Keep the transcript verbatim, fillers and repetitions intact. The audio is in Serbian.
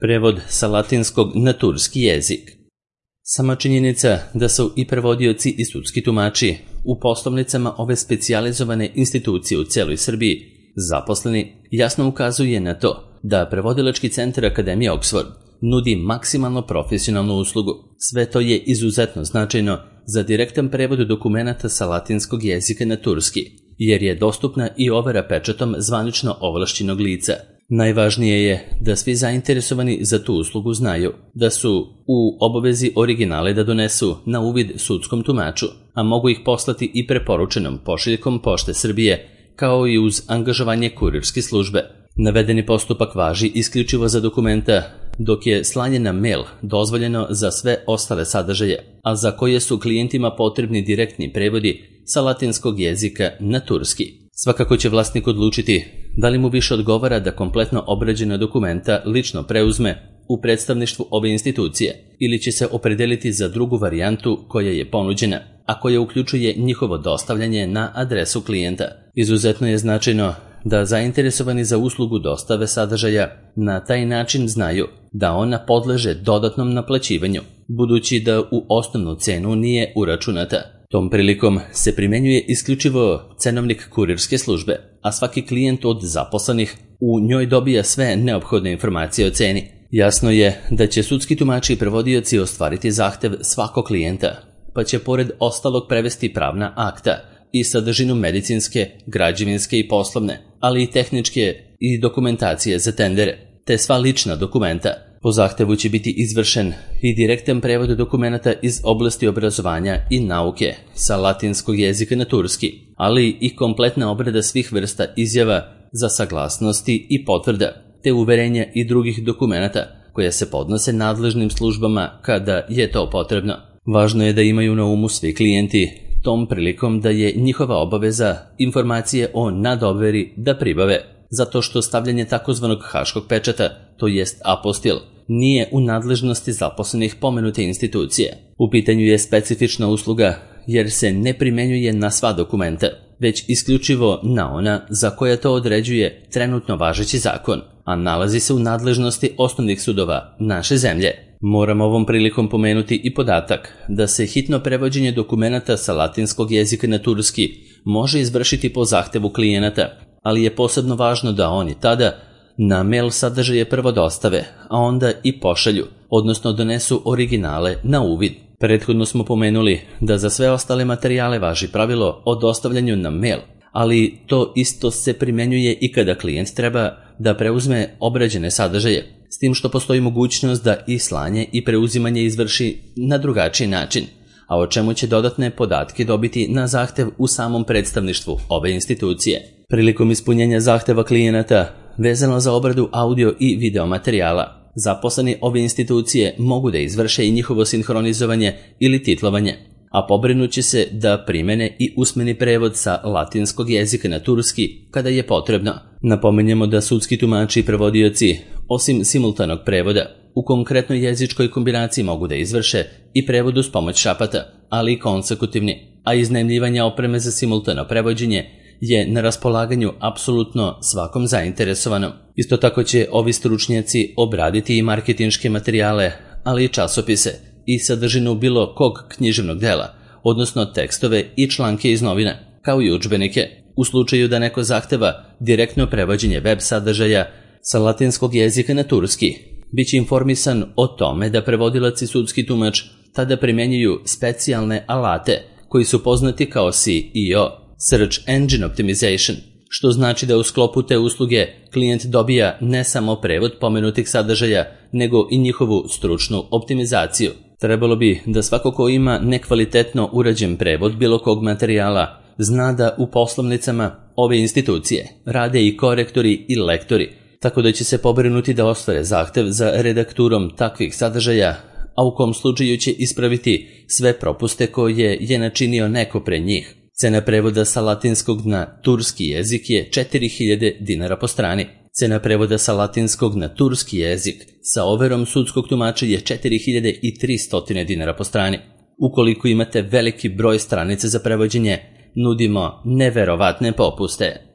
Prevod sa latinskog na turski jezik. Sama činjenica da su i prevodioci i sudski tumači u poslovnicama ove specijalizovane institucije u celoj Srbiji zaposleni jasno ukazuje na to da prevodilački centar Akademije Oxford nudi maksimalno profesionalnu uslugu. Sve to je izuzetno značajno za direktan prevod dokumenata sa latinskog jezika na turski, jer je dostupna i overa pečatom zvanično ovlašćenog lica. Najvažnije je da svi zainteresovani za tu uslugu znaju da su u obavezi originale da donesu na uvid sudskom tumaču, a mogu ih poslati i preporučenom pošiljkom Pošte Srbije, kao i uz angažovanje kurirske službe. Navedeni postupak važi isključivo za dokumenta, dok je slanje na mail dozvoljeno za sve ostale sadržaje, a za koje su klijentima potrebni direktni prevodi sa latinskog jezika na turski. Svakako će vlasnik odlučiti da li mu više odgovara da kompletno obrađena dokumenta lično preuzme u predstavništvu ove institucije ili će se opredeliti za drugu varijantu koja je ponuđena, a koja uključuje njihovo dostavljanje na adresu klijenta. Izuzetno je značajno da zainteresovani za uslugu dostave sadržaja na taj način znaju da ona podleže dodatnom naplaćivanju, budući da u osnovnu cenu nije uračunata. Tom prilikom se primenjuje isključivo cenovnik kurirske službe, a svaki klijent od zaposlenih u njoj dobija sve neophodne informacije o ceni. Jasno je da će sudski tumači i prevodioci ostvariti zahtev svakog klijenta, pa će pored ostalog prevesti pravna akta i sadržinu medicinske, građevinske i poslovne, ali i tehničke i dokumentacije za tendere, te sva lična dokumenta. Po zahtevu će biti izvršen i direktan prevod dokumenta iz oblasti obrazovanja i nauke sa latinskog jezika na turski, ali i kompletna obrada svih vrsta izjava za saglasnosti i potvrda, te uverenja i drugih dokumenata koja se podnose nadležnim službama kada je to potrebno. Važno je da imaju na umu svi klijenti tom prilikom da je njihova obaveza informacije o nadoveri da pribave, zato što stavljanje takozvanog haškog pečata, to jest apostil, nije u nadležnosti zaposlenih pomenute institucije. U pitanju je specifična usluga jer se ne primenjuje na sva dokumenta, već isključivo na ona za koja to određuje trenutno važeći zakon, a nalazi se u nadležnosti osnovnih sudova naše zemlje. Moram ovom prilikom pomenuti i podatak da se hitno prevođenje dokumenata sa latinskog jezika na turski može izvršiti po zahtevu klijenata, ali je posebno važno da oni tada na mail sadržaje prvo dostave, a onda i pošalju, odnosno donesu originale na uvid. Prethodno smo pomenuli da za sve ostale materijale važi pravilo o dostavljanju na mail, ali to isto se primenjuje i kada klijent treba da preuzme obrađene sadržaje, s tim što postoji mogućnost da i slanje i preuzimanje izvrši na drugačiji način, a o čemu će dodatne podatke dobiti na zahtev u samom predstavništvu ove institucije. Prilikom ispunjenja zahteva klijenata vezano za obradu audio i video materijala, zaposleni ove institucije mogu da izvrše i njihovo sinhronizovanje ili titlovanje, a pobrinut će se da primene i usmeni prevod sa latinskog jezika na turski kada je potrebno. Napominjemo da sudski tumači i prevodioci, osim simultanog prevoda, u konkretnoj jezičkoj kombinaciji mogu da izvrše i prevod uz pomoć šapata, ali i konsekutivni, a iznajmljivanje opreme za simultano prevođenje je na raspolaganju apsolutno svakom zainteresovanom. Isto tako će ovi stručnjaci obraditi i marketinške materijale, ali i časopise i sadržinu bilo kog književnog dela, odnosno tekstove i članke iz novina, kao i udžbenike. U slučaju da neko zahteva direktno prevođenje web sadržaja sa latinskog jezika na turski, bit će informisan o tome da prevodilac i sudski tumač tada primenjuju specijalne alate koji su poznati kao S E O, Search Engine Optimization, što znači da u sklopu te usluge klijent dobija ne samo prevod pomenutih sadržaja, nego i njihovu stručnu optimizaciju. Trebalo bi da svako ko ima nekvalitetno urađen prevod bilo kog materijala zna da u poslovnicama ove institucije rade i korektori i lektori, tako da će se pobrinuti da ostvare zahtev za redakturom takvih sadržaja, a u kom slučaju će ispraviti sve propuste koje je načinio neko pre njih. Cena prevoda sa latinskog na turski jezik je četiri hiljade dinara po strani. Cena prevoda sa latinskog na turski jezik sa overom sudskog tumača je četiri hiljade tristo dinara po strani. Ukoliko imate veliki broj stranica za prevođenje, nudimo neverovatne popuste.